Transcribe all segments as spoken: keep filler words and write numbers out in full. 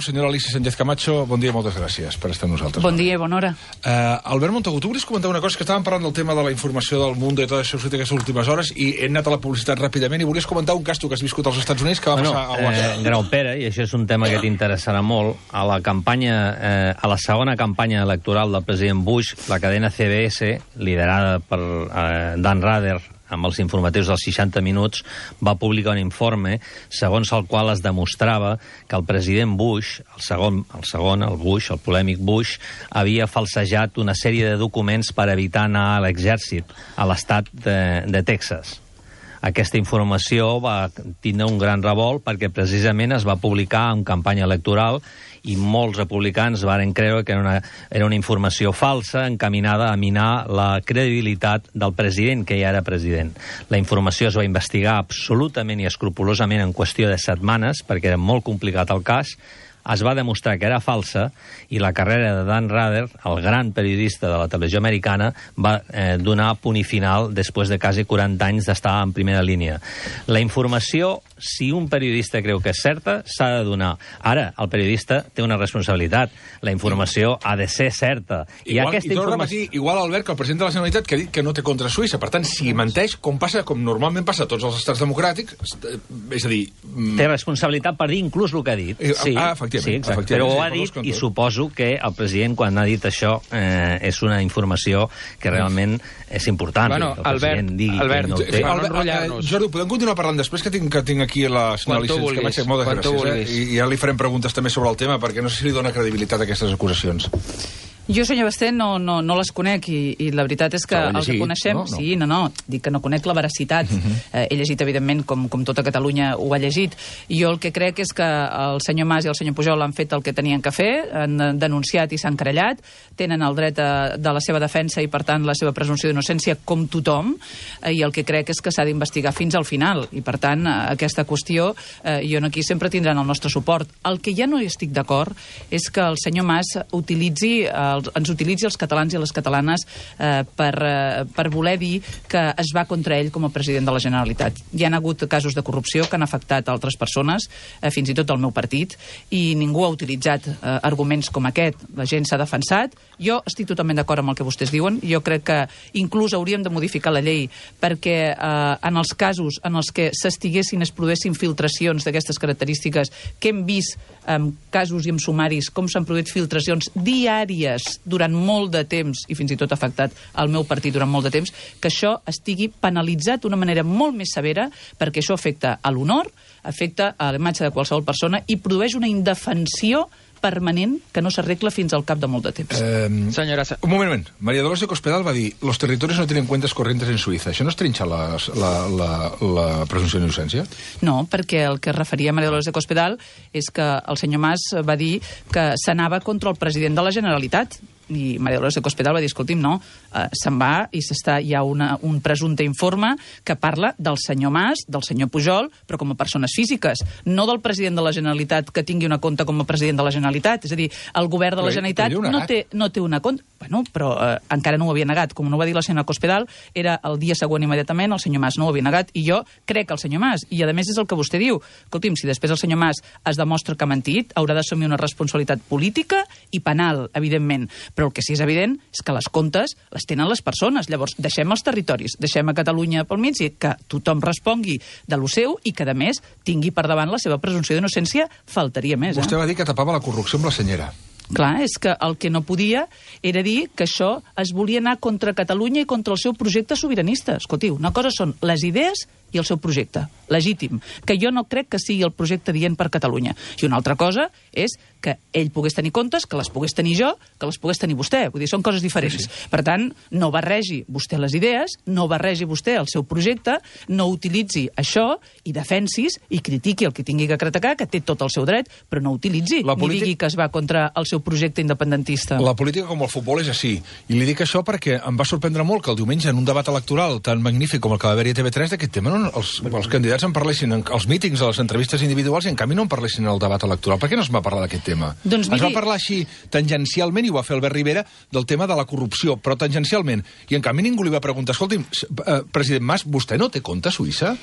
Senyora Alicia Sánchez Camacho, bon dia i moltes gràcies per estar amb nosaltres. Bon dia i bona hora. Uh, Albert Montagut, tu volies comentar una cosa, que estàvem parlant del tema de la informació del món i tot això aquestes últimes hores, i he anat a la publicitat ràpidament, i volies comentar un cas tu que has viscut als Estats Units que va bueno, passar a Washington. Eh, Graupera, i això és un tema que t'interessarà molt, a la campanya, eh, a la segona campanya electoral del president Bush, la cadena C B S, liderada per eh, Dan Rather, amb els informatius dels seixanta minuts, va publicar un informe segons el qual es demostrava que el president Bush, el segon, el segon, el Bush, el polèmic Bush, havia falsejat una sèrie de documents per evitar anar a l'exèrcit a l'estat de, de Texas. Aquesta informació va tindre un gran revolt perquè precisament es va publicar en campanya electoral i molts republicans varen creure que era una, era una informació falsa encaminada a minar la credibilitat del president, que ja era president. La informació es va investigar absolutament i escrupolosament en qüestió de setmanes, perquè era molt complicat el cas. Es va demostrar que era falsa i la carrera de Dan Rather, el gran periodista de la televisió americana, va eh, donar punt i final després de quasi quaranta anys d'estar en primera línia. La informació, si un periodista creu que és certa, s'ha de donar. Ara, el periodista té una responsabilitat. La informació ha de ser certa. I, igual, aquesta i torno informació... a repetir, igual, Albert, que el president de la Generalitat que ha dit que no té contra Suïssa. Per tant, si menteix, com passa, com normalment passa a tots els estats democràtics, és a dir... Té responsabilitat per dir inclús el que ha dit. Eh, sí, ah, efectivament. sí, exacte. efectivament, Però ho sí, ha dit i suposo que el president, quan ha dit això, eh, és una informació que realment és important. Bueno, que el president Albert, digui Albert, que no ho té. Albert, eh, Jordi, podem continuar parlant després, que tinc, que tinc aquí la senyora Alicia Sánchez Camacho. Moltes gràcies, eh? I, I ja li farem preguntes també sobre el tema, perquè no sé si li dona credibilitat a aquestes acusacions. Jo, senyor Basté, no, no, no les conec i, i la veritat és que Però el que coneixem... no? No. Sí, no, no, dic que no conec la veracitat. Uh -huh. eh, he llegit, evidentment, com, com tota Catalunya ho ha llegit. I jo el que crec és que el senyor Mas i el senyor Pujol han fet el que tenien que fer, han denunciat i s'han querellat, tenen el dret a, de la seva defensa i, per tant, la seva presumpció d'innocència com tothom, eh, i el que crec és que s'ha d'investigar fins al final. I, per tant, aquesta qüestió, eh, jo aquí sempre tindran el nostre suport. El que ja no hi estic d'acord és que el senyor Mas utilitzi... Eh, ens utilitzi els catalans i les catalanes eh, per, eh, per voler dir que es va contra ell com a president de la Generalitat. Hi ha hagut casos de corrupció que han afectat altres persones, eh, fins i tot el meu partit, i ningú ha utilitzat eh, arguments com aquest. La gent s'ha defensat. Jo estic totalment d'acord amb el que vostès diuen. Jo crec que inclús hauríem de modificar la llei perquè eh, en els casos en els que s'estiguessin, es produessin filtracions d'aquestes característiques, que hem vist en casos i en sumaris com s'han produït filtracions diàries durant molt de temps, i fins i tot ha afectat el meu partit durant molt de temps, que això estigui penalitzat d'una manera molt més severa, perquè això afecta a l'honor, afecta a la imatge de qualsevol persona i produeix una indefensió permanent que no s'arregla fins al cap de molt de temps. Eh, Senyora... Un moment, un moment. María Dolores de Cospedal va dir los territorios no tienen cuentas corrientes en Suïssa. Això no es trinxa la, la, la, la presumpció d'innocència? No, perquè el que referia María Dolores de Cospedal és que el senyor Mas va dir que s'anava contra el president de la Generalitat. I María Dolores de Cospedal va dir, escolti'm, no, eh, se'n va i s'està, hi ha una, un presumpte informe que parla del senyor Mas, del senyor Pujol, però com a persones físiques, no del president de la Generalitat que tingui una compte com a president de la Generalitat. És a dir, el govern de la Generalitat no té, no té una compte... Bueno, però eh, encara no ho havia negat. Com no ho va dir la senyora Cospedal, era el dia següent immediatament, el senyor Mas no ho havia negat, i jo crec que el senyor Mas, i a més és el que vostè diu, escolti'm, si després el senyor Mas es demostra que ha mentit, haurà d'assumir una responsabilitat política i penal, evidentment. Però el que sí és evident és que les comptes les tenen les persones. Llavors, deixem els territoris, deixem a Catalunya pel mig i que tothom respongui de lo seu i que, a més, tingui per davant la seva presumpció d'innocència, faltaria més. Eh? Vostè va dir que tapava la corrupció amb la senyera. Clar, és que el que no podia era dir que això es volia anar contra Catalunya i contra el seu projecte sobiranista. Escoltiu, una cosa són les idees i el seu projecte, legítim, que jo no crec que sigui el projecte dient per Catalunya. I una altra cosa és que ell pogués tenir comptes, que les pogués tenir jo, que les pogués tenir vostè. Vull dir, són coses diferents. Sí, sí. Per tant, no barregi vostè les idees, no barregi vostè el seu projecte, no utilitzi això i defensis i critiqui el que tingui que criticar, que té tot el seu dret, però no utilitzi la polític... ni digui que es va contra el seu projecte independentista. La política, com el futbol, és així. I li dic això perquè em va sorprendre molt que el diumenge, en un debat electoral tan magnífic com el que va haver-hi a T V tres, d'aquest tema no, els, els candidats en parlessin als mítings, a les entrevistes individuals, i en canvi no en parlessin al debat electoral. Per què no es va parlar d'aquest tema? Doncs miri... Es va parlar així tangencialment, i ho va fer Albert Rivera, del tema de la corrupció, però tangencialment. I en canvi ningú li va preguntar, escolti'm, president Mas, vostè no té compte a Suïssa?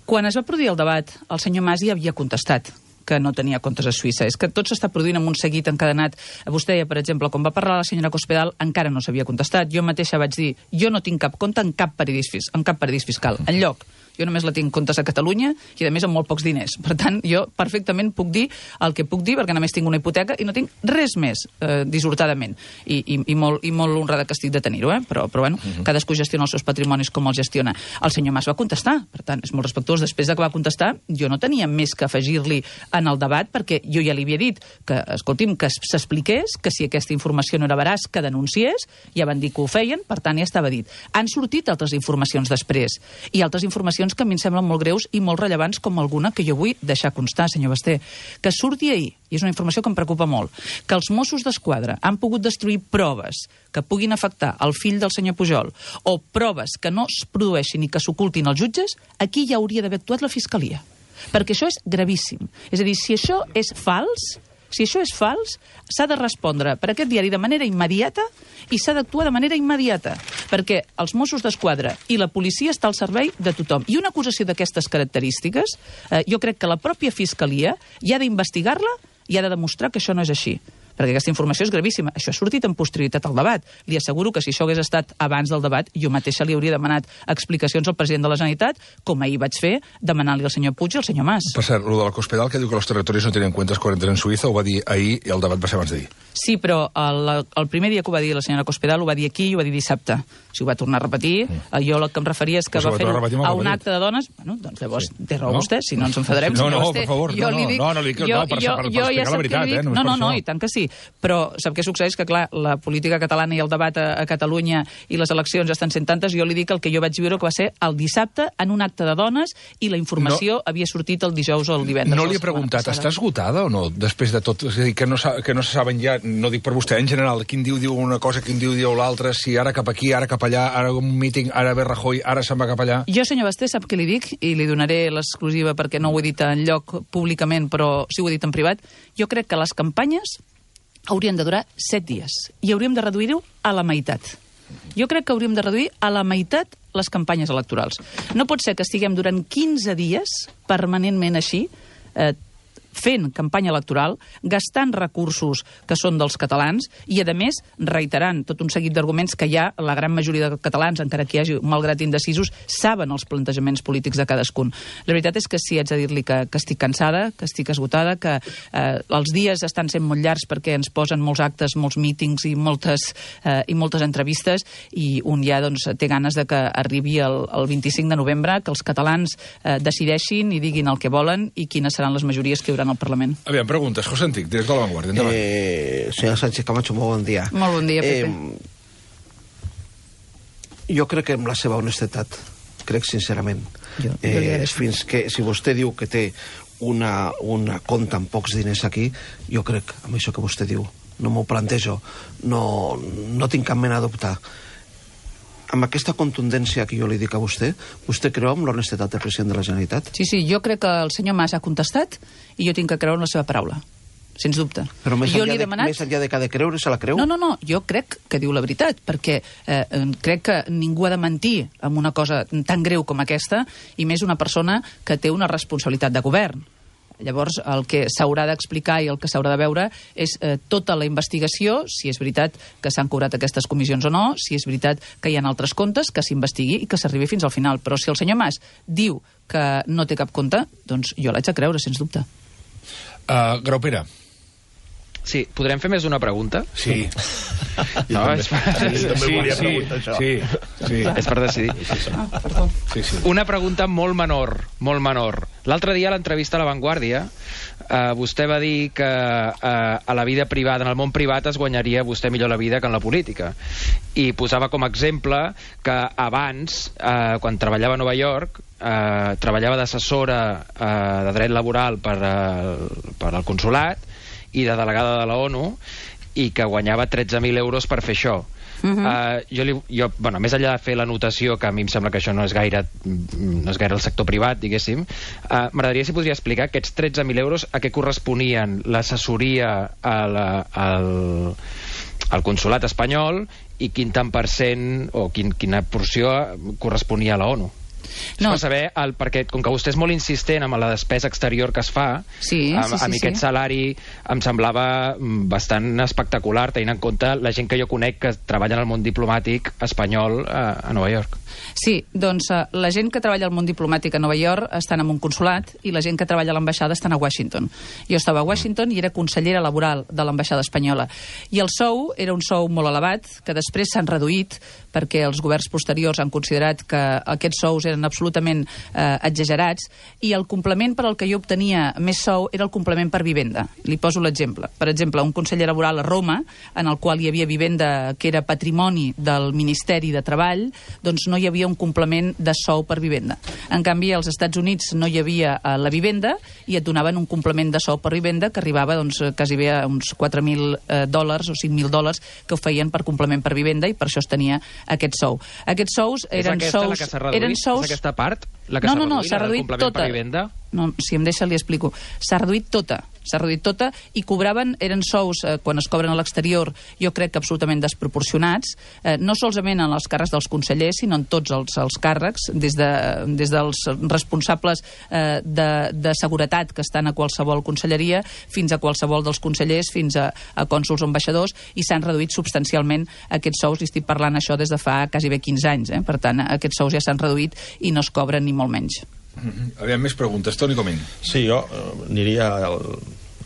Quan es va produir el debat, el senyor Mas ja havia contestat que no tenia comptes a Suïssa. És que tot s'està produint amb un seguit encadenat. Vostè deia, per exemple, quan va parlar la senyora Cospedal, encara no s'havia contestat. Jo mateixa vaig dir, jo no tinc cap compte en cap paradís, en cap paradís fiscal, enlloc. Jo només la tinc comptes a Catalunya i, a més, amb molt pocs diners. Per tant, jo perfectament puc dir el que puc dir, perquè només tinc una hipoteca i no tinc res més, eh, dissortadament. I, i, i, molt, I molt honrada que estic de tenir-ho, eh? Però, però bueno, uh-huh. cadascú gestiona els seus patrimonis com els gestiona. El senyor Mas va contestar, per tant, és molt respectuós. Després de que va contestar, jo no tenia més que afegir-li en el debat, perquè jo ja li havia dit que, escolti'm, que s'expliqués, que si aquesta informació no era veraç, que denunciés, ja van dir que ho feien, per tant, ja estava dit. Han sortit altres informacions després, i altres informacions que a mi em semblen molt greus i molt rellevants, com alguna que jo vull deixar constar, senyor Basté, que surti ahir, i és una informació que em preocupa molt, que els Mossos d'Esquadra han pogut destruir proves que puguin afectar el fill del senyor Pujol, o proves que no es produeixin i que s'ocultin als jutges, aquí ja hauria d'haver actuat la Fiscalia. Perquè això és gravíssim. És a dir, si això és fals, si això és fals, s'ha de respondre per aquest diari de manera immediata i s'ha d'actuar de manera immediata, perquè els Mossos d'Esquadra i la policia està al servei de tothom. I una acusació d'aquestes característiques, eh, jo crec que la pròpia Fiscalia ja ha d'investigar-la i ha de demostrar que això no és així. Perquè aquesta informació és gravíssima. Això ha sortit en posterioritat al debat. Li asseguro que si això hagués estat abans del debat, jo mateixa li hauria demanat explicacions al president de la Generalitat, com ahir vaig fer, demanant-li al senyor Puig i al senyor Mas. Per cert, lo de la Cospedal, que diu que els territoris no tenen cuentas corrientes en Suïssa, ho va dir ahir i el debat va ser abans d'ahir. Sí, però el, el primer dia que ho va dir la senyora Cospedal ho va dir aquí i ho va dir dissabte. O sigui, ho va tornar a repetir. Mm. Jo el que em referia és que pues va fer a, a un acte de dones. Bueno, doncs llavors sí. té raó no? vostè, si no ens enfadarem. No, si no, no, per favor. Jo no, li dic, no, no, li dic, jo, no, per, jo, per, per, jo per ja explicar la veritat, eh? No, no, no, no, i tant que sí. Però sap què succeeix? Que, clar, la política catalana i el debat a, a Catalunya i les eleccions ja estan sent tantes, jo li dic el que jo vaig viure que va ser el dissabte en un acte de dones i la informació no, havia sortit el dijous o el divendres. No li he preguntat, està esgotada o no, després de tot? És a dir, que no, que no se saben ja, no dic per vostè, en general, quin diu diu una cosa, quin diu diu l'altra, si ara cap aquí, ara cap allà, ara un míting, ara ve Rajoy, ara se'n va cap allà. Jo, senyor Basté, sap què li dic? I li donaré l'exclusiva perquè no ho he dit en lloc públicament, però sí ho he dit en privat. Jo crec que les campanyes haurien de durar set dies i hauríem de reduir-ho a la meitat. Jo crec que hauríem de reduir a la meitat les campanyes electorals. No pot ser que estiguem durant quinze dies permanentment així, eh, fent campanya electoral, gastant recursos que són dels catalans i, a més, reiterant tot un seguit d'arguments que ja la gran majoria de catalans, encara que hi hagi, malgrat indecisos, saben els plantejaments polítics de cadascun. La veritat és que sí, haig de dir-li que, que estic cansada, que estic esgotada, que eh, els dies estan sent molt llargs perquè ens posen molts actes, molts mítings i moltes, eh, i moltes entrevistes, i un ja doncs, té ganes de que arribi el, el vint-i-cinc de novembre, que els catalans eh, decideixin i diguin el que volen i quines seran les majories que hi haurà al Parlament. Aviam, preguntes. José Antic, director de La Vanguardia. Endavant. Eh, senyora Sánchez Camacho, molt bon dia. Molt bon dia, Pepe. Eh, jo crec que amb la seva honestedat, crec sincerament, jo, eh, jo fins que, si vostè diu que té una, una compta amb pocs diners aquí, jo crec, amb això que vostè diu, no m'ho plantejo, no, no tinc cap mena de dubte. Amb aquesta contundència que jo li dic a vostè, vostè creu en l'honestedat del president de la Generalitat? Sí, sí, jo crec que el senyor Mas ha contestat i jo tinc que creure en la seva paraula, sens dubte. Però més, jo enllà, he de, demanat... més enllà de que ha de creure, se la creu? No, no, no, jo crec que diu la veritat, perquè eh, crec que ningú ha de mentir amb una cosa tan greu com aquesta, i més una persona que té una responsabilitat de govern. Llavors, el que s'haurà d'explicar i el que s'haurà de veure és eh, tota la investigació, si és veritat que s'han cobrat aquestes comissions o no, si és veritat que hi ha altres comptes, que s'investigui i que s'arribi fins al final. Però si el senyor Mas diu que no té cap compte, doncs jo l'haig de creure, sens dubte. Uh, Graupera. Sí, podrem fer més d'una pregunta? Sí. No, és per... Sí, també sí, volia sí, preguntar això. Sí, sí. És per decidir. Ah, perdó. Sí, sí. Una pregunta molt menor, molt menor. L'altre dia a l'entrevista a La Vanguardia eh, vostè va dir que eh, a la vida privada, en el món privat, es guanyaria vostè millor la vida que en la política. I posava com a exemple que abans, eh, quan treballava a Nova York, eh, treballava d'assessora eh, de dret laboral per, eh, per al consolat i de delegada de la ONU, i que guanyava tretze mil euros per fer això. Uh-huh. uh, jo, li, jo, bueno, més enllà de fer l'anotació, que a mi em sembla que això no és gaire, no és gaire el sector privat, diguéssim, uh, m'agradaria si podria explicar aquests tretze mil euros a què corresponien l'assessoria al, al consolat espanyol i quin tant per cent o quin, quina porció corresponia a la ONU. No. Per saber, el, perquè com que vostè és molt insistent amb la despesa exterior que es fa, sí, a, sí, sí, a mi sí. aquest salari em semblava bastant espectacular, tenint en compte la gent que jo conec que treballa en el món diplomàtic espanyol a, a Nova York. Sí, doncs uh, la gent que treballa al món diplomàtic a Nova York estan en un consulat i la gent que treballa a l'ambaixada estan a Washington. Jo estava a Washington i era consellera laboral de l'ambaixada espanyola. I el sou era un sou molt elevat, que després s'han reduït perquè els governs posteriors han considerat que aquests sous eren absolutament eh, exagerats, i el complement per al que jo obtenia més sou era el complement per vivenda. Li poso l'exemple. Per exemple, un conseller laboral a Roma, en el qual hi havia vivenda que era patrimoni del Ministeri de Treball, doncs no hi havia un complement de sou per vivenda. En canvi, als Estats Units no hi havia eh, la vivenda i et donaven un complement de sou per vivenda que arribava doncs, quasi bé a uns quatre mil eh, dòlars o cinc mil dòlars que ho feien per complement per vivenda, i per això es tenia aquest sou. Aquests sous eren és aquesta sous... la que s'ha reduït? Eren sous... És aquesta part? La que no, s'ha no, no, reduït, s'ha reduït tota. No, si em deixa li explico. S'ha reduït tota. S'ha reduït tota i cobraven, eren sous, eh, quan es cobren a l'exterior, jo crec que absolutament desproporcionats, eh, no solament en els càrrecs dels consellers, sinó en tots els, els càrrecs, des, de, des dels responsables eh, de, de seguretat que estan a qualsevol conselleria, fins a qualsevol dels consellers, fins a, a cònsols o ambaixadors, i s'han reduït substancialment aquests sous, i estic parlant això des de fa quasi bé quinze anys, eh? Per tant, aquests sous ja s'han reduït i no es cobren ni molt menys. Mm-hmm. Aviam, més preguntes. Toni Comín. Sí, jo eh, aniria al,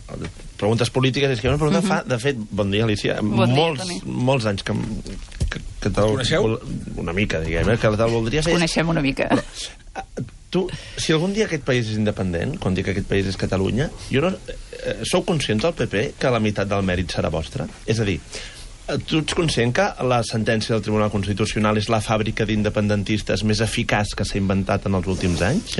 al, preguntes polítiques. És que una pregunta uh-huh. fa, de fet, bon dia, Alicia, bon molts, dia, molts anys que, que, que te'l... Coneixeu? Una mica, diguem, que te'l voldria fer. Coneixem una mica. Però, tu, si algun dia aquest país és independent, quan dic que aquest país és Catalunya, jo no, eh, sou conscients del P P que la meitat del mèrit serà vostre? És a dir, tu ets conscient que la sentència del Tribunal Constitucional és la fàbrica d'independentistes més eficaç que s'ha inventat en els últims anys?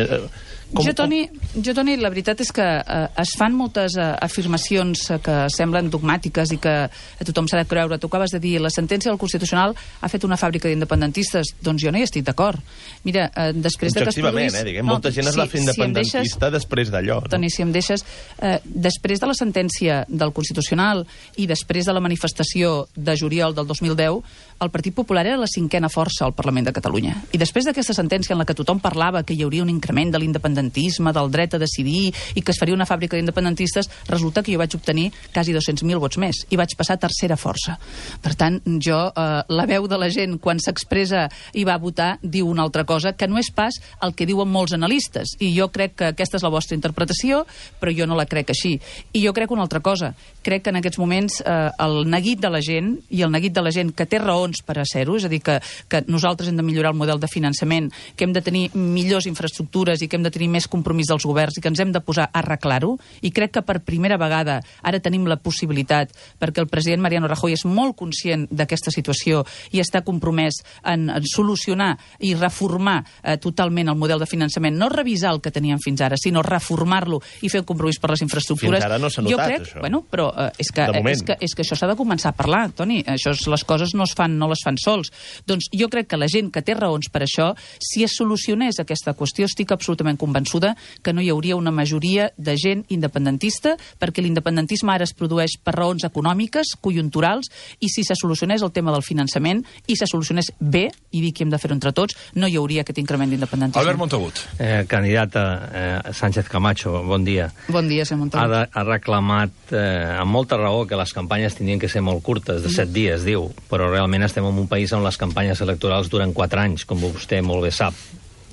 Com, jo, Toni, jo, Toni, la veritat és que eh, es fan moltes eh, afirmacions eh, que semblen dogmàtiques i que a tothom s'ha de creure. Tu acabes de dir, la sentència del Constitucional ha fet una fàbrica d'independentistes. Doncs jo no hi estic d'acord. Mira, eh, després de que es produís... eh, diguem, no, molta gent es va fer independentista si deixes, després d'allò. No? Toni, si em deixes... Eh, després de la sentència del Constitucional i després de la manifestació de juliol del dos mil deu, el Partit Popular era la cinquena força al Parlament de Catalunya. I després d'aquesta sentència en la que tothom parlava que hi hauria un increment de l'independentisme, del dret a decidir, i que es faria una fàbrica d'independentistes, resulta que jo vaig obtenir quasi dos-cents mil vots més i vaig passar a tercera força. Per tant, jo, eh, la veu de la gent quan s'expressa i va votar diu una altra cosa, que no és pas el que diuen molts analistes. I jo crec que aquesta és la vostra interpretació, però jo no la crec així. I jo crec una altra cosa. Crec que en aquests moments eh, el neguit de la gent i el neguit de la gent que té raons per a ser-ho, és a dir, que, que nosaltres hem de millorar el model de finançament, que hem de tenir millors infraestructures i que hem de tenir més compromís dels governs i que ens hem de posar a arreglar-ho, i crec que per primera vegada ara tenim la possibilitat, perquè el president Mariano Rajoy és molt conscient d'aquesta situació i està compromès en, en solucionar i reformar eh, totalment el model de finançament, no revisar el que teníem fins ara, sinó reformar-lo i fer un compromís per les infraestructures. Fins ara no s'ha notat, jo crec, això. Bueno, però eh, és, que, eh, és, que, és que això s'ha de començar a parlar, Toni. Això és, les coses no es fan, no les fan sols. Doncs jo crec que la gent que té raons per això, si es solucionés aquesta qüestió, estic absolutament convençuda que no hi hauria una majoria de gent independentista, perquè l'independentisme ara es produeix per raons econòmiques, conjunturals, i si se solucionés el tema del finançament i se solucionés bé, i dic que hem de fer-ho entre tots, no hi hauria aquest increment d'independentisme. Albert Montagut. Eh, candidata eh, Sánchez Camacho, bon dia. Bon dia, senyor Montagut. Ha, de, ha reclamat eh, amb molta raó que les campanyes tenien que ser molt curtes, de set dies, diu, però realment estem en un país on les campanyes electorals duren quatre anys, com vostè molt bé sap.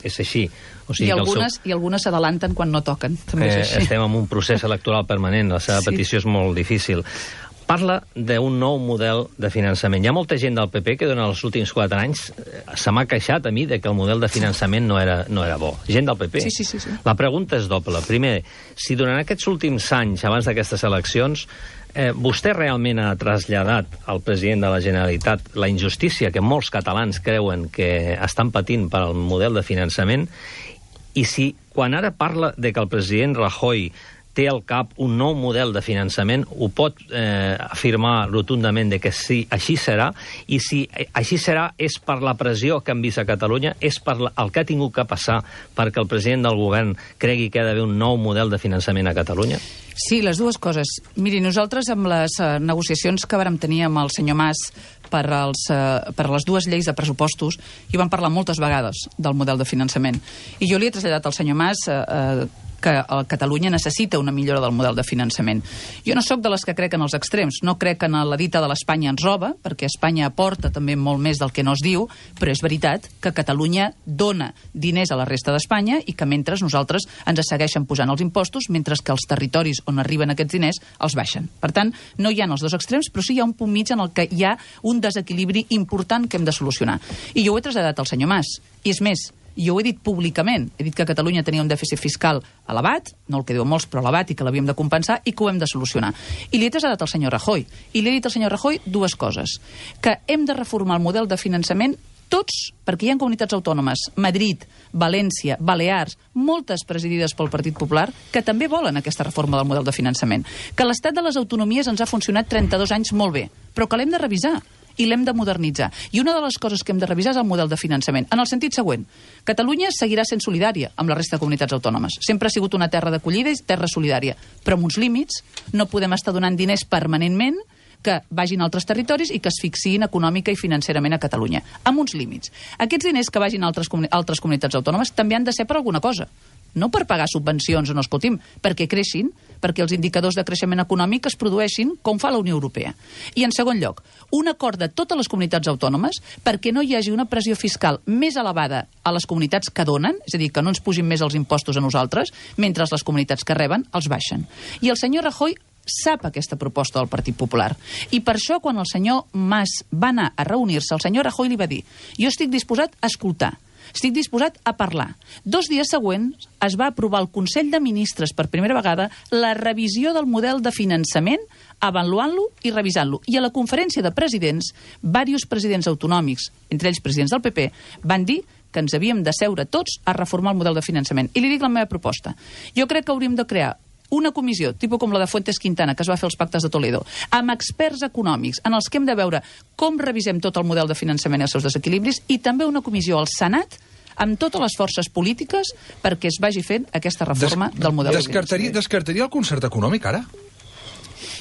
És així. O sigui I, algunes, seu... I algunes s'adalanten quan no toquen. També eh, és així. Estem en un procés electoral permanent, la seva sí. petició és molt difícil. Parla d'un nou model de finançament. Hi ha molta gent del P P que durant els últims quatre anys se m'ha queixat a mi de que el model de finançament no era, no era bo. Gent del P P. Sí, sí, sí, sí. La pregunta és doble. Primer, si durant aquests últims anys, abans d'aquestes eleccions, eh, vostè realment ha traslladat al president de la Generalitat la injustícia que molts catalans creuen que estan patint per al model de finançament, i si quan ara parla de que el president Rajoy té al cap un nou model de finançament, ho pot eh, afirmar rotundament de que sí, així serà, i si així serà és per la pressió que han vist a Catalunya, és per la, el que ha tingut que passar perquè el president del govern cregui que ha d'haver un nou model de finançament a Catalunya? Sí, les dues coses. Miri, nosaltres amb les uh, negociacions que vàrem tenir amb el senyor Mas per, als, eh, per les dues lleis de pressupostos i van parlar moltes vegades del model de finançament. I jo li he traslladat al senyor Mas eh, eh, que Catalunya necessita una millora del model de finançament. Jo no sóc de les que crec en els extrems, no crec en la dita de l'Espanya ens roba, perquè Espanya aporta també molt més del que no es diu, però és veritat que Catalunya dona diners a la resta d'Espanya i que mentre nosaltres ens segueixen posant els impostos, mentre que els territoris on arriben aquests diners els baixen. Per tant, no hi ha els dos extrems, però sí hi ha un punt mig en el que hi ha un desequilibri important que hem de solucionar. I jo ho he traslladat al senyor Mas. I és més, jo ho he dit públicament, he dit que Catalunya tenia un dèficit fiscal elevat, no el que diuen molts, però elevat, i que l'havíem de compensar i que ho hem de solucionar. I li he traslladat al senyor Rajoy. I li he dit al senyor Rajoy dues coses. Que hem de reformar el model de finançament tots, perquè hi ha comunitats autònomes, Madrid, València, Balears, moltes presidides pel Partit Popular, que també volen aquesta reforma del model de finançament. Que l'estat de les autonomies ens ha funcionat trenta-dos anys molt bé, però que l'hem de revisar i l'hem de modernitzar. I una de les coses que hem de revisar és el model de finançament, en el sentit següent. Catalunya seguirà sent solidària amb la resta de comunitats autònomes. Sempre ha sigut una terra d'acollida i terra solidària, però amb uns límits. No podem estar donant diners permanentment que vagin a altres territoris i que asfixiïn econòmica i financerament a Catalunya, amb uns límits. Aquests diners que vagin a altres, altres comunitats autònomes també han de ser per alguna cosa. No per pagar subvencions o no, escolti'm, perquè creixin, perquè els indicadors de creixement econòmic es produeixin com fa la Unió Europea. I en segon lloc, un acord de totes les comunitats autònomes perquè no hi hagi una pressió fiscal més elevada a les comunitats que donen, és a dir, que no ens pugin més els impostos a nosaltres, mentre les comunitats que reben els baixen. I el senyor Rajoy sap aquesta proposta del Partit Popular. I per això, quan el senyor Mas va anar a reunir-se, el senyor Rajoy li va dir: jo estic disposat a escoltar, estic disposat a parlar. Dos dies següents es va aprovar al Consell de Ministres per primera vegada la revisió del model de finançament, avaluant-lo i revisant-lo. I a la conferència de presidents, diversos presidents autonòmics, entre ells presidents del P P, van dir que ens havíem de seure tots a reformar el model de finançament. I li dic la meva proposta. Jo crec que hauríem de crear una comissió, tipus com la de Fuentes Quintana, que es va fer als pactes de Toledo, amb experts econòmics, en els que hem de veure com revisem tot el model de finançament i els seus desequilibris, i també una comissió al Senat amb totes les forces polítiques perquè es vagi fent aquesta reforma Des del model descartaria, de finançament. Descartaria el concert econòmic, ara?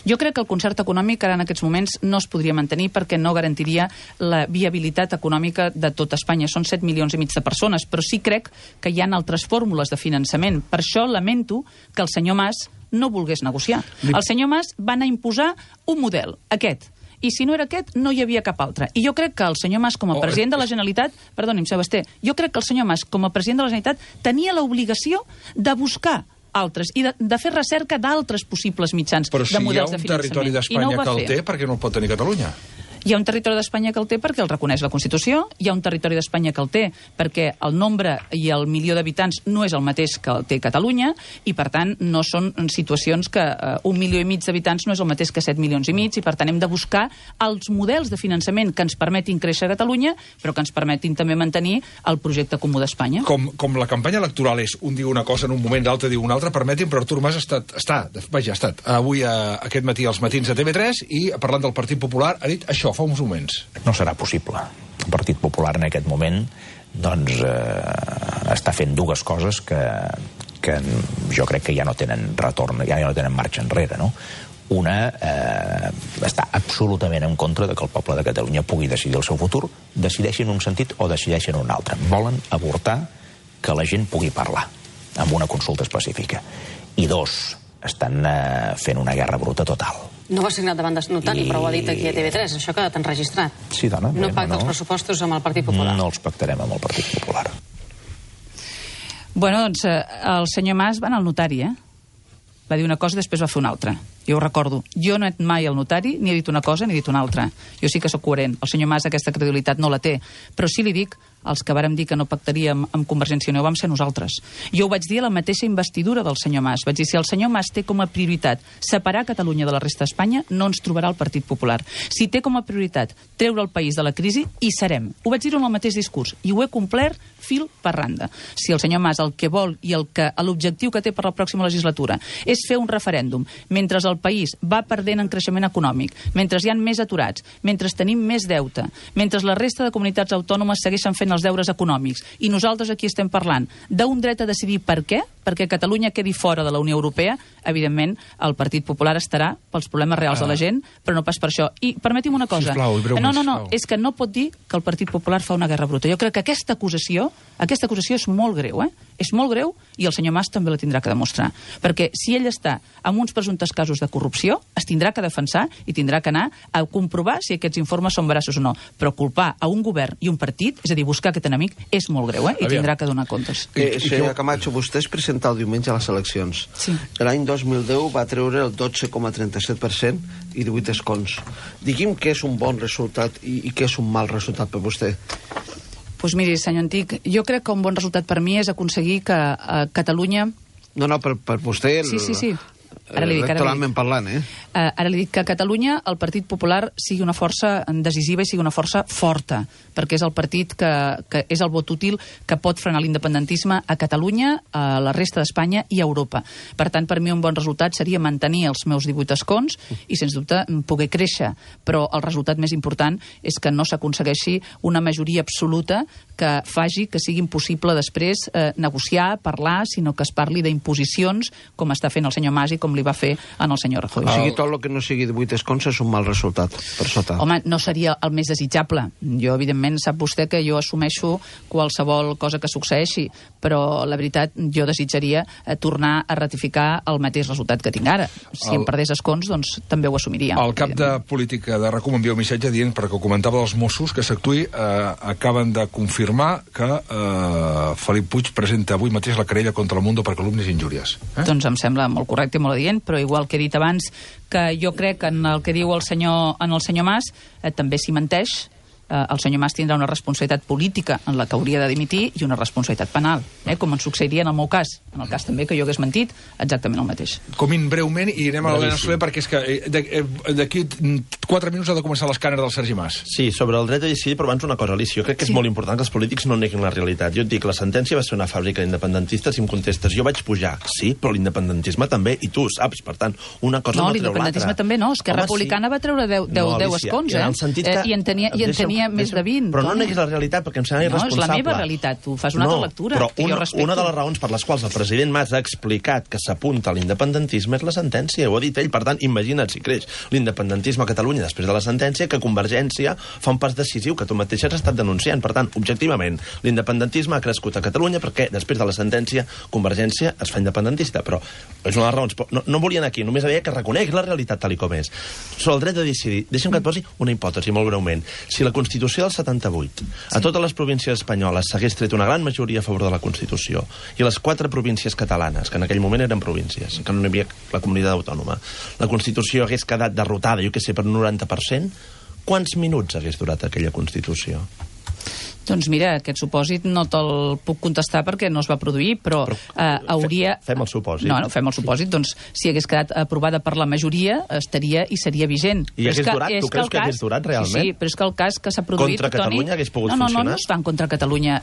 Jo crec que el concert econòmic ara en aquests moments no es podria mantenir perquè no garantiria la viabilitat econòmica de tot Espanya. Són set milions i mig de persones, però sí crec que hi ha altres fórmules de finançament. Per això lamento que el senyor Mas no volgués negociar. El senyor Mas va anar a imposar un model, aquest. I si no era aquest, no hi havia cap altre. I jo crec que el senyor Mas, com a president de la Generalitat... Perdoni'm, Sebastià, jo crec que el senyor Mas, com a president de la Generalitat, tenia l'obligació de buscar altres, i de, de fer recerca d'altres possibles mitjans Però si de models de finançament. Però si hi ha un territori d'Espanya no que el té, per què no el pot tenir Catalunya? Hi ha un territori d'Espanya que el té perquè el reconeix la Constitució, hi ha un territori d'Espanya que el té perquè el nombre i el milió d'habitants no és el mateix que el té Catalunya, i per tant no són situacions que uh, un milió i mig d'habitants no és el mateix que set milions i mig, i per tant hem de buscar els models de finançament que ens permetin créixer a Catalunya, però que ens permetin també mantenir el projecte comú d'Espanya. Com, com la campanya electoral és un diu una cosa en un moment, l'altre diu una altra, permetin, però Artur Mas ha estat, està, vaja, ha estat avui a, aquest matí als matins de T V tres i parlant del Partit Popular ha dit això fa uns moments. No serà possible. El Partit Popular en aquest moment doncs, eh, està fent dues coses que, que jo crec que ja no tenen retorn, ja no tenen marxa enrere, no? Una eh, està absolutament en contra de que el poble de Catalunya pugui decidir el seu futur, decideixin un sentit o decideixin un altre. Volen avortar que la gent pugui parlar amb una consulta específica. I dos, estan eh, fent una guerra bruta total. No va signat davant de notari, I... però ho ha dit aquí a T V tres, això que t'han registrat. Sí, dona. No bé, pacta no, els pressupostos amb el Partit Popular. No els pactarem amb el Partit Popular. Bueno, doncs eh, el senyor Mas va anar al notari, eh? Va dir una cosa i després va fer una altra. Jo ho recordo. Jo no he anat mai al notari, ni he dit una cosa ni he dit una altra. Jo sí que sóc coherent. El senyor Mas aquesta credibilitat no la té. Però sí li dic, els que vàrem dir que no pactaríem amb Convergència i Unió vam ser nosaltres. Jo ho vaig dir a la mateixa investidura del senyor Mas. Vaig dir, si el senyor Mas té com a prioritat separar Catalunya de la resta d'Espanya, no ens trobarà el Partit Popular. Si té com a prioritat treure el país de la crisi, hi serem. Ho vaig dir en el mateix discurs i ho he complert fil per randa. Si el senyor Mas el que vol i el que l'objectiu que té per la pròxima legislatura és fer un referèndum mentre el país va perdent en creixement econòmic, mentre hi ha més aturats, mentre tenim més deute, mentre la resta de comunitats autònomes segueixen fent els deures econòmics, i nosaltres aquí estem parlant d'un dret a decidir per què, perquè Catalunya quedi fora de la Unió Europea, evidentment el Partit Popular estarà pels problemes reals ah. de la gent, però no pas per això. I permeti'm una cosa. Sisplau, no, no, no, és que no pot dir que el Partit Popular fa una guerra bruta. Jo crec que aquesta acusació, aquesta acusació és molt greu, eh? És molt greu, i el senyor Mas també la tindrà que demostrar. Perquè si ell està en uns presumptes casos de corrupció, es tindrà que defensar i tindrà que anar a comprovar si aquests informes són veraços o no. Però culpar a un govern i un partit, és a dir, buscar aquest enemic, és molt greu, eh? I tindrà que donar comptes. Eh, senyor Camacho, vostè es presenta el diumenge a les eleccions. Sí. L'any dos mil deu va treure el dotze coma trenta-set per cent i divuit escons. Digui'm què és un bon resultat i, i què és un mal resultat per vostè. Doncs miri, senyor Antic, jo crec que un bon resultat per mi és aconseguir que a Catalunya... No, no, per, per vostè... El... Sí, sí, sí. Ara li dic, ara li dic. Parlant, eh? Uh, ara li dic que a Catalunya el Partit Popular sigui una força decisiva i sigui una força forta, perquè és el partit que, que és el vot útil que pot frenar l'independentisme a Catalunya, a la resta d'Espanya i a Europa. Per tant, per mi un bon resultat seria mantenir els meus divuit escons i, sens dubte, poder créixer. Però el resultat més important és que no s'aconsegueixi una majoria absoluta que faci que sigui impossible després eh, negociar, parlar, sinó que es parli d'imposicions, com està fent el senyor Mas i com li va fer en el senyor Rajoy. O sigui, tot el que no sigui divuit escons és un mal resultat, per sota. Home, no seria el més desitjable. Jo, evidentment, sap vostè que jo assumeixo qualsevol cosa que succeeixi, però la veritat, jo desitjaria eh, tornar a ratificar el mateix resultat que tinc ara. Si el... em perdés escons, doncs també ho assumiria. El cap de política de RAC1 m'envia un missatge dient, perquè ho comentava dels Mossos, que s'actuï, eh, acaben de confirmar que eh, Felip Puig presenta avui mateix la querella contra el Mundo per calúmnies i injúries. Eh? Doncs em sembla molt correcte i molt adient, però igual que he dit abans, que jo crec que en el que diu el senyor, en el senyor Mas eh, també s'hi menteix. Eh, el senyor Mas tindrà una responsabilitat política en la que hauria de dimitir i una responsabilitat penal, eh, com en succeiria en el meu cas, en el cas també que jo hagués mentit, exactament el mateix. Comin breument i anem a l'Helena Soler, perquè és que d'aquí quatre minuts ha de començar l'escàner del Sergi Mas. Sí, sobre el dret a decidir, però abans una cosa, Alicia, jo crec que és sí. molt important que els polítics no neguin la realitat. Jo et dic, la sentència va ser una fàbrica d'independentistes, i em contestes, jo vaig pujar, sí, però l'independentisme també, i tu ho saps, per tant, una cosa no, no treu l'altra. No, l'independentisme també no, Esquerra Republicana sí. va treure deu, deu, no, deu escons, eh? Que, eh? I en tenia, i en tenia deixa'm, més de vint. Però no neguis la realitat, perquè em sembla irresponsable. No, és la meva realitat, tu fas una no, altra lectura, però que una, jo respecto. Una de les raons per les quals el president Mas ha explicat que s'apunta a l'independentisme és la sentència, ho ha dit ell. Per tant, imagina't si creix l'independentisme a Catalunya després de la sentència, que Convergència fa un pas decisiu que tu mateix has estat denunciant. Per tant, objectivament, l'independentisme ha crescut a Catalunya perquè després de la sentència Convergència es fa independentista. Però és una de les raons. No, no volien aquí, només havia que reconèixer la realitat tal i com és. Sobre el dret a decidir, deixa'm que et posi una hipòtesi molt breument. Si la Constitució del setanta-vuit a totes les províncies espanyoles s'hagués tret una gran majoria a favor de la Constitució i les quatre províncies catalanes, que en aquell moment eren províncies, que no hi havia la comunitat autònoma, la Constitució hagués quedat derrotada, jo què sé, per un noranta per cent, quants minuts hagués durat aquella Constitució? Doncs mira, aquest supòsit no te'l puc contestar perquè no es va produir, però, però eh, hauria... Fem el supòsit. No, no, fem el supòsit. Doncs si hagués quedat aprovada per la majoria, estaria i seria vigent. I hagués durat? Tu creus que hagués durat realment? Sí, sí, però és que el cas que s'ha produït... Contra Catalunya hagués pogut funcionar? No, no, no, no es fan contra Catalunya.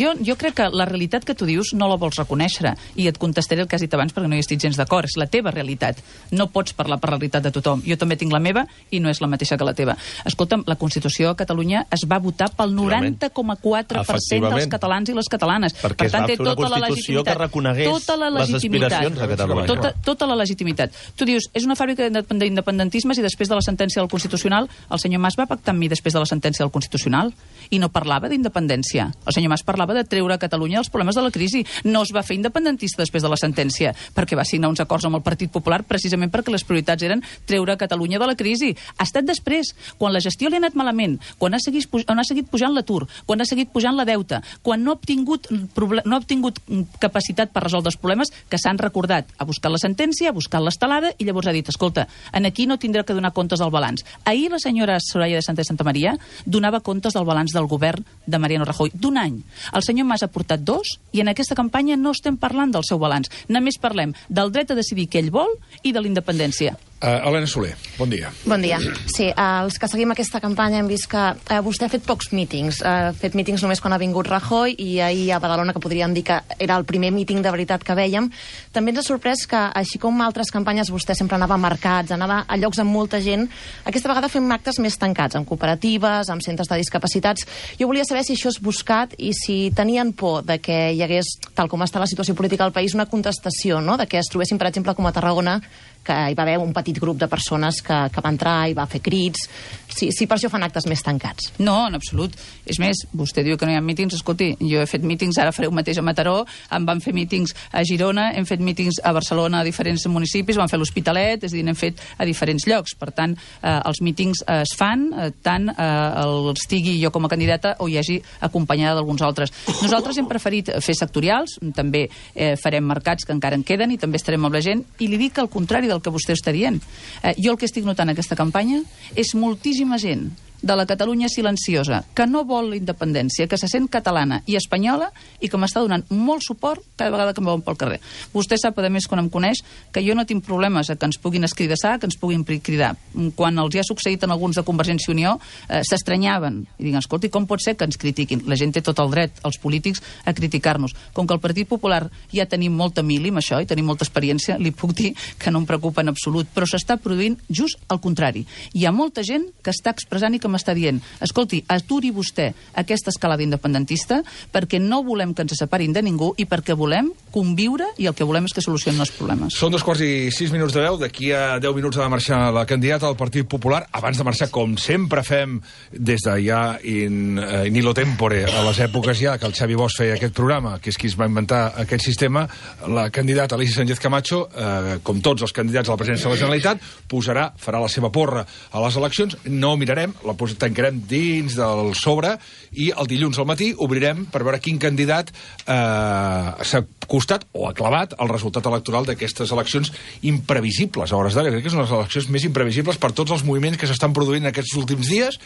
Jo, jo crec que la realitat que tu dius no la vols reconèixer, i et contestaré el que has dit abans perquè no hi estic gens d'acord. És la teva realitat. No pots parlar per la realitat de tothom. Jo també tinc la meva i no és la mateixa que la teva. Escolta'm, la Constitució a Catalunya es va votar pel noranta coma quatre per cent dels catalans i les catalanes. Perquè per tant, té tota la legitimitat. Que reconegués tota la les aspiracions de Catalunya. Tota, tota la legitimitat. Tu dius, és una fàbrica d'independentismes, i després de la sentència del Constitucional, el senyor Mas va pactar amb mi després de la sentència del Constitucional i no parlava d'independència. El senyor Mas parlava de treure a Catalunya els problemes de la crisi. No es va fer independentista després de la sentència, perquè va signar uns acords amb el Partit Popular precisament perquè les prioritats eren treure a Catalunya de la crisi. Ha estat després, quan la gestió li ha anat malament, quan ha seguit, on ha seguit pujant l'atur, quan ha seguit pujant la deute, quan no ha obtingut, no ha obtingut capacitat per resoldre els problemes, que s'han recordat a buscar la sentència, a buscar l'estelada, i llavors ha dit, escolta, en aquí no tindrà que donar comptes del balanç. Ahir la senyora Soraya de Santa Santa Maria donava comptes del balanç del govern de Mariano Rajoy d'un any. El senyor Mas ha portat dos, i en aquesta campanya no estem parlant del seu balanç. Només parlem del dret a decidir què ell vol i de la independència. Uh, Helena Soler, bon dia. Bon dia. Sí, uh, els que seguim aquesta campanya hem vist que uh, vostè ha fet pocs mítings. Uh, ha fet mítings només quan ha vingut Rajoy i ahir a Badalona, que podríem dir que era el primer míting de veritat que vèiem. També ens ha sorprès que, així com altres campanyes, vostè sempre anava a mercats, anava a llocs amb molta gent. Aquesta vegada fem actes més tancats, amb cooperatives, amb centres de discapacitats. Jo volia saber si això és buscat i si tenien por de que hi hagués, tal com està la situació política al país, una contestació, no?, de que es trobessin, per exemple, com a Tarragona, que hi va haver un petit grup de persones que, que va entrar i va fer crits. Si, si per això fan actes més tancats. No, en absolut. És més, vostè diu que no hi ha mítings. Escolti, jo he fet mítings, ara faré un mateix a Mataró, em van fer mítings a Girona, hem fet mítings a Barcelona, a diferents municipis, van fer l'Hospitalet, és a dir, n'hem fet a diferents llocs. Per tant, eh, els mítings eh, es fan, eh, tant eh, els tigui jo com a candidata o hi hagi acompanyada d'alguns altres. Nosaltres hem preferit fer sectorials, també eh, farem mercats que encara en queden i també estarem amb la gent, i li dic al contrari del que vostè està dient. Eh, jo el que estic notant en aquesta campanya és moltíssima gent de la Catalunya silenciosa, que no vol la independència, que se sent catalana i espanyola i que m'està donant molt suport cada vegada que em veuen pel carrer. Vostè sap, a més, quan em coneix, que jo no tinc problemes a que ens puguin escridassar, que ens puguin cridar. Quan els hi ha succeït en alguns de Convergència i Unió, eh, s'estranyaven i diuen, escolti, com pot ser que ens critiquin? La gent té tot el dret, els polítics, a criticar-nos. Com que el Partit Popular ja tenim molta mili amb això i tenim molta experiència, li puc dir que no em preocupa en absolut, però s'està produint just al contrari. Hi ha molta gent que està expressant i que m'està dient, escolti, aturi vostè aquesta escalada independentista perquè no volem que ens separin de ningú i perquè volem conviure i el que volem és que solucionin els problemes. Són dos quarts i sis minuts de deu, d'aquí a deu minuts ha de marxar la candidata del Partit Popular. Abans de marxar, com sempre fem des de ja in, in hilo tempore, a les èpoques ja que el Xavi Bosch feia aquest programa, que és qui es va inventar aquest sistema, la candidata Alícia Sánchez Camacho, eh, com tots els candidats a la presidència de la Generalitat, posarà, farà la seva porra a les eleccions. No mirarem, la tancarem dins del sobre i el dilluns al matí obrirem per veure quin candidat eh, s'ha costat o ha clavat el resultat electoral d'aquestes eleccions imprevisibles a hores d'ara. Crec que són les eleccions més imprevisibles per tots els moviments que s'estan produint en aquests últims dies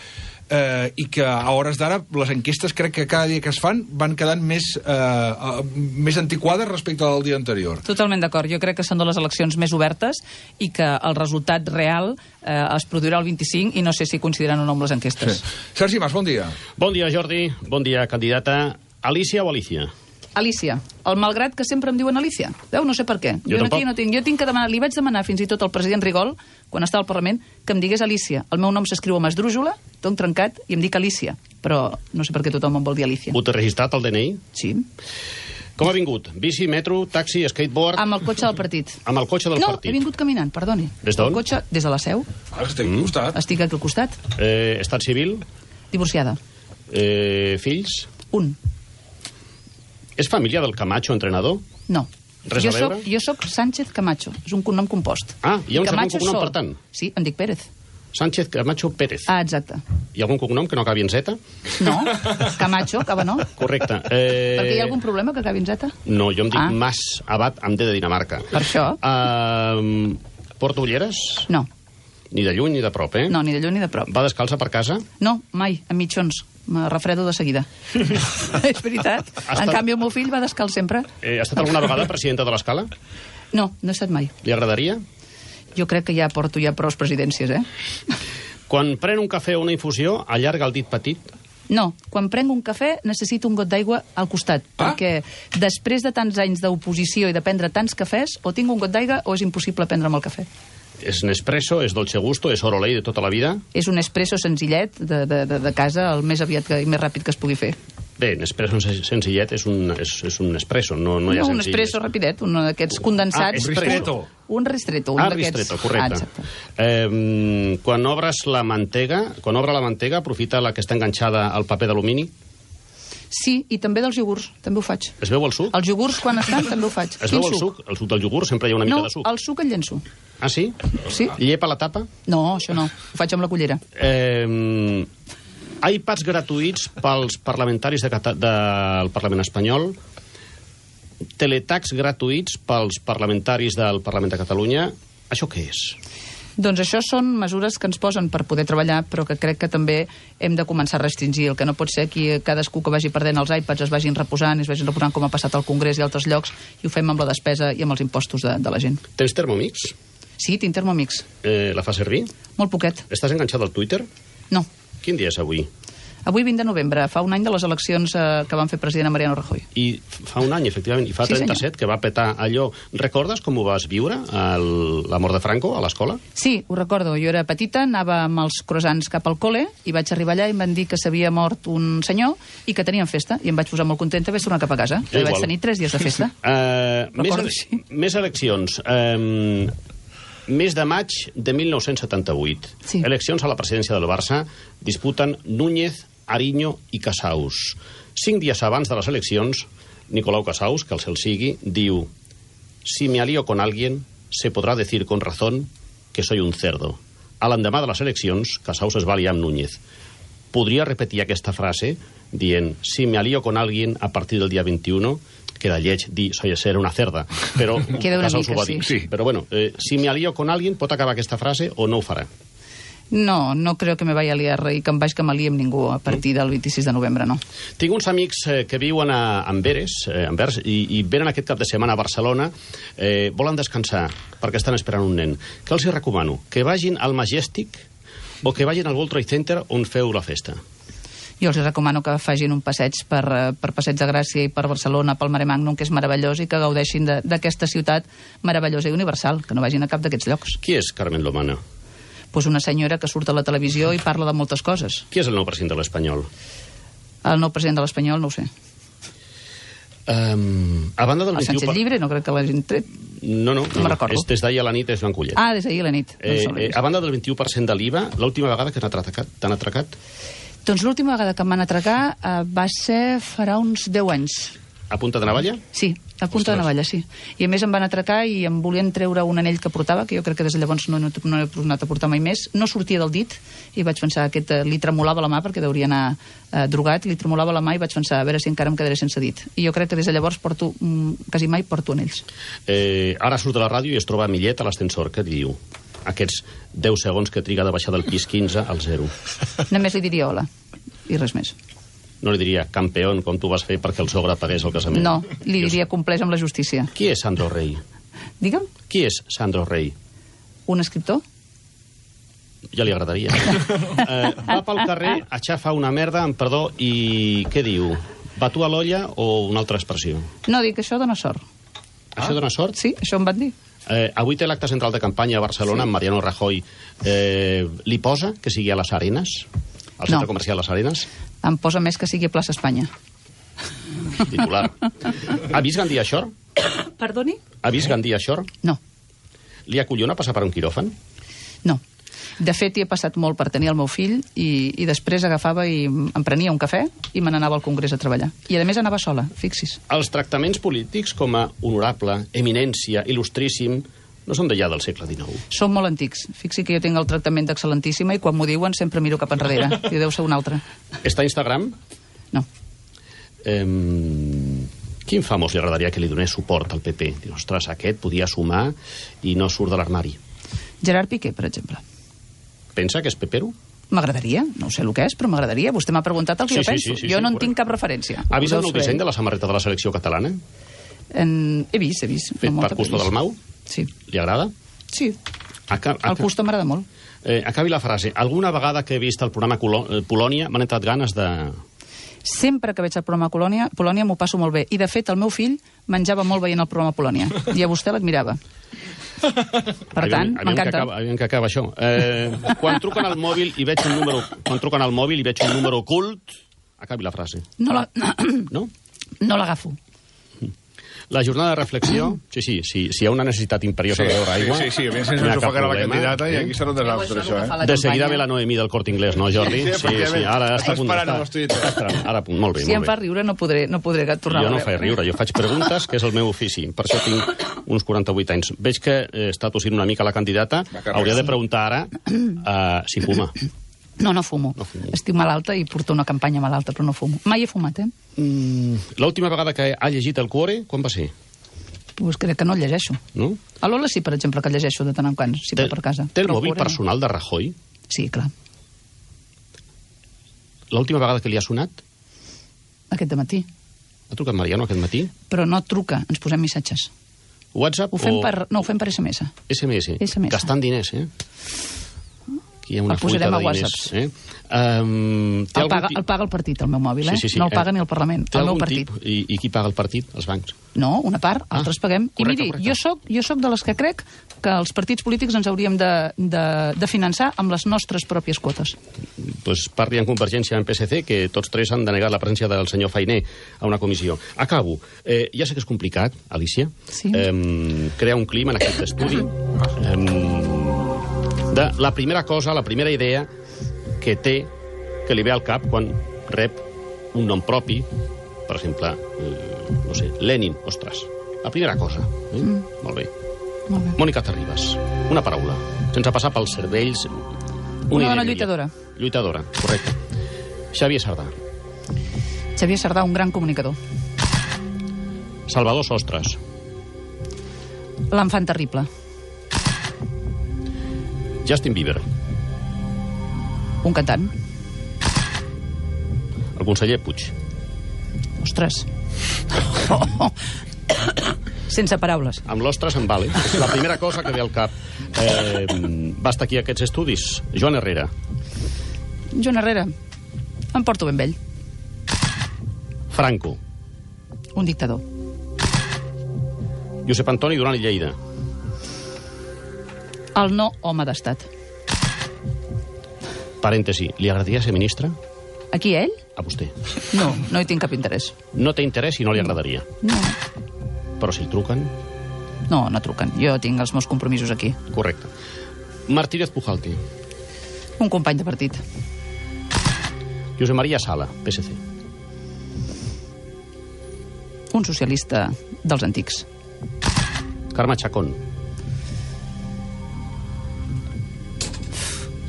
eh, i que a hores d'ara les enquestes crec que cada dia que es fan van quedant més, eh, més antiquades respecte al dia anterior. Totalment d'acord. Jo crec que són de les eleccions més obertes i que el resultat real eh, es produirà el vint-i-cinc i no sé si coincidiran o no amb les enquestes. Sí. Sergi Mas, bon dia. Bon dia, Jordi. Bon dia, candidata. Alicia o Alicia? Alicia. El malgrat que sempre em diuen Alicia. Veu? No sé per què. Jo, jo tampoc. aquí no tinc. Jo tinc que demanar, li vaig demanar fins i tot al president Rigol, quan estava al Parlament, que em digués Alicia. El meu nom s'escriu amb esdrújula, tot trencat, i em dic Alicia. Però no sé per què tothom em vol dir Alicia. Ho té registrat al D N I? Sí. Com ha vingut? Bici, metro, taxi, skateboard? Amb el cotxe del partit. Amb el cotxe del no, partit? No, he vingut caminant, perdoni. Des d'on? El cotxe des de la Seu. Ah, estic al costat. Estic aquí al costat. Eh, estat civil? Divorciada. Eh, fills? Un. És família del Camacho, entrenador? No. Res jo a veure? Soc, jo soc Sánchez Camacho. És un cognom compost. Ah, hi ha un segon Camacho cognom, sol. per tant? Sí, em dic Pérez. Sánchez Camacho Pérez. Ah, exacte. Hi ha algun cognom que no acabi en Z? No, Camacho, acaba no. Correcte. Eh... Perquè hi ha algun problema que acabi en Z? No, jo em dic Ah. Mas Abad amb D de Dinamarca. Per això? Uh, porta ulleres? No. Ni de lluny ni de prop, eh? No, ni de lluny ni de prop. Va descalça per casa? No, mai, amb mitjons. Me refredo de seguida. És veritat. Ha En estat- canvi, el meu fill va descalç sempre. Eh, ha estat alguna vegada presidenta de l'Escala? No, no he estat mai. Li agradaria? Jo crec que ja porto ja prou presidències, eh? Quan pren un cafè o una infusió, allarga el dit petit? No, quan prenc un cafè necessito un got d'aigua al costat, Ah. perquè després de tants anys d'oposició i de prendre tants cafès, o tinc un got d'aigua o és impossible prendre'm el cafè. És Nespresso, és Dolce Gusto, és Orolei de tota la vida? És un espresso senzillet de, de, de, de casa, el més aviat que, i més ràpid que es pugui fer. Bé, Nespresso senzillet és un, és, és un Nespresso, no, no hi ha No, un senzilles. espresso rapidet, un d'aquests condensats. Ah, espresso. Ristretto. Un ristretto, un Ah, d'aquests. ristretto, correcte. Ah, exacte. eh, quan obres la mantega, quan obre la mantega, aprofita la que està enganxada al paper d'alumini? Sí, i també dels iogurts, també ho faig. Es veu el suc? Els iogurts, quan estan, també ho faig. Es Quin veu el suc? El suc del iogurt sempre hi ha una No, mica de suc. el suc el llenço. Ah, sí? Sí? Llepa la tapa? No, això no. Ho faig amb la cullera. Eh, iPads gratuïts pels parlamentaris de Cata del Parlament espanyol, teletacs gratuïts pels parlamentaris del Parlament de Catalunya. Això què és? Doncs això són mesures que ens posen per poder treballar, però que crec que també hem de començar a restringir. El que no pot ser que cadascú que vagi perdent els iPads es vagin reposant, i es vagin reposant com ha passat al Congrés i altres llocs, i ho fem amb la despesa i amb els impostos de, de la gent. Tens Thermomix? Sí, tinc Thermomix. Eh, la fa servir? Molt poquet. Estàs enganxat al Twitter? No. Quin dia és avui? Avui vint de novembre, fa un any de les eleccions eh, que van fer president a Mariano Rajoy. I fa un any, efectivament, i fa Sí, trenta-set, que va petar allò. Recordes com ho vas viure, el, la mort de Franco, a l'escola? Sí, ho recordo. Jo era petita, anava amb els croissants cap al col·le i vaig arribar allà i em van dir que s'havia mort un senyor i que tenien festa. I em vaig posar molt contenta d'haver tornat cap a casa. I vaig tenir tres dies de festa. Uh, més, Recordo, ele sí. més eleccions. Um, mes de maig de mil nou-cents setanta-vuit. Sí. Eleccions a la presidència del Barça disputen Núñez, Ariño i Casaus. Cinc dies abans de les eleccions, Nicolau Casaus, que el cel sigui, diu: si me alío con alguien, se podrá decir con razón que soy un cerdo. A l'endemà de les eleccions, Casaus es va aliar amb Núñez. Podria repetir aquesta frase dient: si me alío con alguien a partir del dia vint-i-u, queda lleig dir soy ser una cerda, però Queda una Casaus mica, ho va dir. sí. Però bueno, eh, si me alío con alguien, pot acabar aquesta frase o no ho farà? No, no creo que me vaya a liar i que em vaig que m'aliï amb ningú a partir del vint-i-sis de novembre, no. Tinc uns amics eh, que viuen a Amberes, eh, Anvers, i, i venen aquest cap de setmana a Barcelona, eh, volen descansar perquè estan esperant un nen. Què els hi recomano? Que vagin al Majestic o que vagin al World Trade Center on feu la festa? Jo els recomano que facin un passeig per, eh, per Passeig de Gràcia i per Barcelona, pel Mare Magnum, que és meravellós, i que gaudeixin d'aquesta ciutat meravellosa i universal, que no vagin a cap d'aquests llocs. Qui és Carmen Lomana? Pues una senyora que surt a la televisió i parla de moltes coses. Qui és el nou president de l'Espanyol? El nou president de l'Espanyol, no ho sé. Um, a banda del El vint-i-u... Sánchez Llibre, no crec que l'hagin tret. No, no, No no, me'n recordo. és des d'ahir a la nit és Joan Collet. Ah, des d'ahir a la nit. Eh, No eh, a banda del vint-i-u per cent de l'I V A, l'última vegada que t'han atracat, t'han atracat? Doncs l'última vegada que em van atracar eh, va ser farà uns deu anys. A punta de navalla? Sí, a punta Ostres. de navalla, sí. I a més em van atracar i em volien treure un anell que portava, que jo crec que des de llavors no, no, no he tornat a portar mai més. No sortia del dit i vaig pensar que aquest, eh, li tremolava la mà perquè deuria anar eh, drogat, li tremolava la mà i vaig pensar a veure si encara em quedaré sense dit. I jo crec que des de llavors porto, mm, quasi mai porto anells. Eh, ara surt de la ràdio i es troba a Millet a l'ascensor. Què diu? Aquests deu segons que triga de baixar del pis quinze al zero. Només li diria hola i res més. No li diria, campeón, com tu vas fer perquè el sogre pagués el casament. No, li diria compleix amb la justícia. Qui és Sandro Rey? Digue'm, Qui és Sandro Rey? un escriptor? Ja li agradaria. eh, va pel carrer, aixafa una merda, amb perdó, i què diu? Batu a l'olla o una altra expressió? No, dic que això dona sort. Això dona sort? Sí, això em van dir. Eh, avui té l'acte central de campanya a Barcelona, sí. amb Mariano Rajoy. Eh, li posa que sigui a les Arenes? Al centre No. comercial Les Arenes? Em posa més que sigui a plaça Espanya. Titular. Ha vist Gandia Shore? Perdoni? Ha vist Gandia Shore? No, Li acollona passar per un quiròfan? no. De fet, hi he passat molt per tenir el meu fill i, i després agafava i em prenia un cafè i me n'anava al Congrés a treballar. I a més anava sola, fixis. Els tractaments polítics com a honorable, eminència, il·lustríssim, no són d'allà del segle dinou. Són molt antics. Fixi que jo tinc el tractament d'excel·lentíssima i quan m'ho diuen sempre miro cap enrere. I deu ser un altre. Està a Instagram? No. Eh, quin famós li agradaria que li donés suport al P P? Diu, ostres, aquest podia sumar i no surt de l'armari. Gerard Piqué, per exemple. Pensa que és pepero? M'agradaria, no sé el que és, però m'agradaria. Vostè m'ha preguntat el que Sí, jo sí, penso. sí, sí, jo sí, no en correcte. tinc cap referència. Ha vist Ho el deu nou saber. disseny de la samarreta de la selecció catalana? En... He vist, he vist. Fet No per molta, Custo però he vist. Dalmau? Sí. Li agrada? Sí, Aca el Custo m'agrada molt. eh, acabi la frase. Alguna vegada que he vist el programa Colo eh, Polònia m'han entrat ganes de... Sempre que veig el programa Polònia, Polònia m'ho passo molt bé. I, de fet, el meu fill menjava molt veient el programa Polònia. I a vostè l'admirava. Per tant, Aviam- aviam que m'encanta. acaba, aviam que acaba això. Eh, quan truquen al mòbil i veig un número... Quan truquen al mòbil i veig un número ocult... Acabi la frase. No la- No? No l'agafo. La jornada de reflexió... Sí, sí, sí, si hi ha una necessitat imperiosa Sí, de beure aigua... sí, sí, sí, a més no hi ens ha ho cap ofegarà la problema, candidata i eh? aquí serà un desastre, això, eh? De seguida ve la Noemí del Corte Inglés, no, Jordi? Sí, efectivament. ara està a punt Esperant d'estar- amb els tuits. està esperant. Ara, a punt, molt bé, Si em molt fa bé. riure no podré, no podré tornar Jo no a faig riure, jo faig preguntes, que és el meu ofici. Per això tinc uns quaranta-vuit anys. Veig que eh, està tossint una mica la candidata. Hauria de preguntar ara uh, si fuma. No, no fumo. No fumo. Estic malalta i porto una campanya malalta, però no fumo. Mai he fumat, eh? Mm, L'última vegada que ha llegit el Cuore, quan va ser? Pues crec que no el llegeixo. No? A l'Ola sí, per exemple, que el llegeixo de tant en quant, si va per casa. Té el Però mòbil fora no. personal de Rajoy? Sí, clar. L'última vegada que li ha sonat? Aquest de matí. Ha trucat Mariano aquest matí? Però no truca, ens posem missatges. WhatsApp Ho fem o... per, no, ho fem per S M S. S M S. S M S. Gastant diners, eh? Aquí hi ha una El posarem fuita a de diners. WhatsApp. Eh? Um, El paga, el paga el partit, el meu mòbil, eh? Sí, sí, sí. No el paga eh, ni el Parlament, té el meu algun partit. tip? I, I qui paga el partit? Els bancs. No, una part, Ah, altres paguem. I correcte, miri, correcte. jo soc, jo soc de les que crec que els partits polítics ens hauríem de, de, de finançar amb les nostres pròpies quotes. Pues parli en Convergència en P S C, que tots tres han denegat la presència del senyor Fainé a una comissió. Acabo. Eh, ja sé que és complicat, Alicia, Sí. eh, crear un clima en aquest estudi. Eh, de la primera cosa, la primera idea que té, que li ve al cap quan rep un nom propi, per exemple, eh, no sé, Lenin, ostres. La primera cosa. Eh? Mm. Molt bé. Molt bé. Mònica Terribas, una paraula, sense passar pels cervells... Una dona ideologia. lluitadora. Lluitadora, correcte. Xavier Sardà. Xavier Sardà, un gran comunicador. Salvador Sostres. L'enfant terrible. Justin Bieber. Un cantant. El conseller Puig. Ostres. Sense paraules. Amb l'ostres em vale. És la primera cosa que ve al cap. Eh, va estar aquí a aquests estudis. Joan Herrera. Joan Herrera. Em porto ben vell. Franco. Un dictador. Josep Antoni Duran i Lleida. El no home d'estat. Parèntesi, li agradaria ser ministre? Aquí ell? A vostè. No, no hi tinc cap interès. No té interès i no li agradaria. No, Però si el truquen... no, no truquen. Jo tinc els meus compromisos aquí. Correcte. Martínez Pujalte. Un company de partit. Josep Maria Sala, P S C. Un socialista dels antics. Carme Chacón.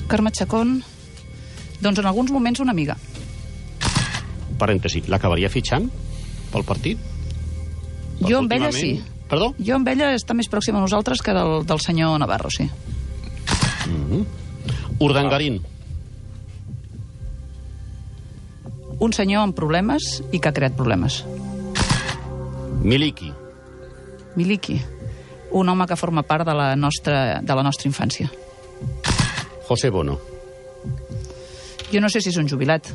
Carme Chacón, doncs en alguns moments una amiga. Parèntesi, l'acabaria fitxant pel partit? Jo amb ella sí. Últimament- Perdó? Jo amb ella està més pròxima a nosaltres que del, del senyor Navarro, sí. Urdangarín. Un senyor amb problemes i que ha creat problemes. Miliki. Miliki, un home que forma part de la nostra, de la nostra infància. José Bono. Jo no sé si és un jubilat,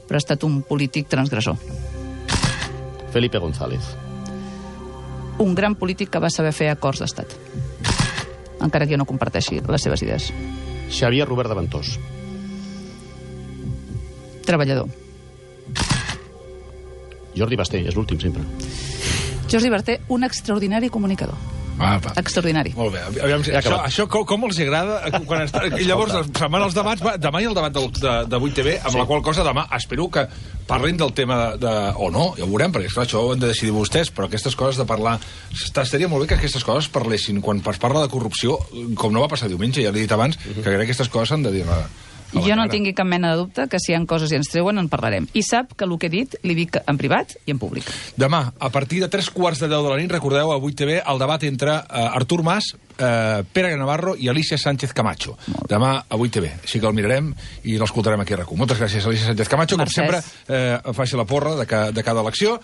però ha estat un polític transgressor. Felipe González. Un gran polític que va saber fer acords d'estat. Encara que jo no comparteixi les seves idees. Xavier Robert de Ventós. Treballador. Jordi Basté, és l'últim sempre. Jordi Berté, un extraordinari comunicador. Ah, va. Extraordinari. Molt bé. Aviam, Ja això, acabat. això com, com els agrada? Quan està... I llavors se'n van els debats. Va, demà hi ha el debat del, de, de vuit T V, amb Sí. la qual cosa demà espero que parlin del tema de... de o no, ja ho veurem, perquè esclar, això ho han de decidir vostès, però aquestes coses de parlar... Està, estaria molt bé que aquestes coses parlessin. Quan es parla de corrupció, com no va passar diumenge, ja l'he dit abans, uh -huh. que crec que aquestes coses s'han de dir... A, a la Jo no cara. tingui cap mena de dubte que si hi ha coses i ens treuen en parlarem. I sap que el que he dit li dic en privat i en públic. Demà, a partir de tres quarts de deu de la nit, recordeu, a vuit T V, el debat entre uh, Artur Mas, uh, Pere Navarro i Alicia Sánchez Camacho. Demà a vuit T V. Així que el mirarem i l'escoltarem aquí a RAC u. Moltes gràcies, Alicia Sánchez Camacho. Mercès. Com sempre, eh, faci la porra de, ca, de cada elecció.